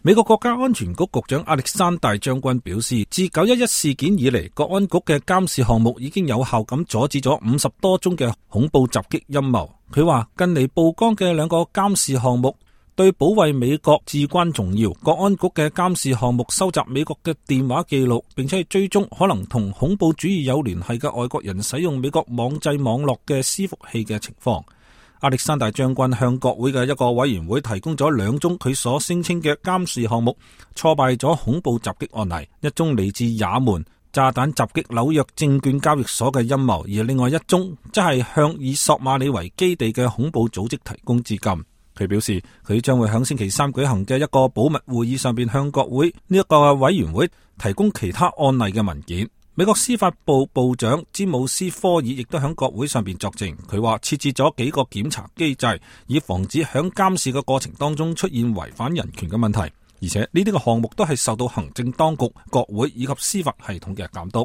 美國國家安全局局長亞歷山大將軍表示，自911事件以嚟，國安局嘅監視項目已經有效咁阻止咗50多宗嘅恐怖襲擊陰謀。佢話近嚟曝光嘅2個監視項目對保衛美國至關重要。國安局嘅監視項目收集美國嘅電話記錄，並且係追蹤可能同恐怖主義有聯繫嘅外國人使用美國網際網絡嘅伺服器嘅情況。亞歷山大將軍向國會嘅一個委員會提供咗2宗佢所聲稱嘅監視項目挫敗咗恐怖襲擊案例，一宗嚟自也門炸彈襲擊紐約證券交易所嘅陰謀，而另外一宗則係向以索馬里為基地嘅恐怖組織提供資金。佢表示，佢將會喺星期3舉行嘅一個保密會議上邊向國會呢一個委員會提供其他案例嘅文件。美國司法部部長詹姆斯科爾亦都喺國會上邊作證，佢話設置咗幾個檢查機制，以防止喺監視嘅過程當中出現違反人權嘅問題，而且呢啲嘅項目都係受到行政當局、國會以及司法系統嘅監督。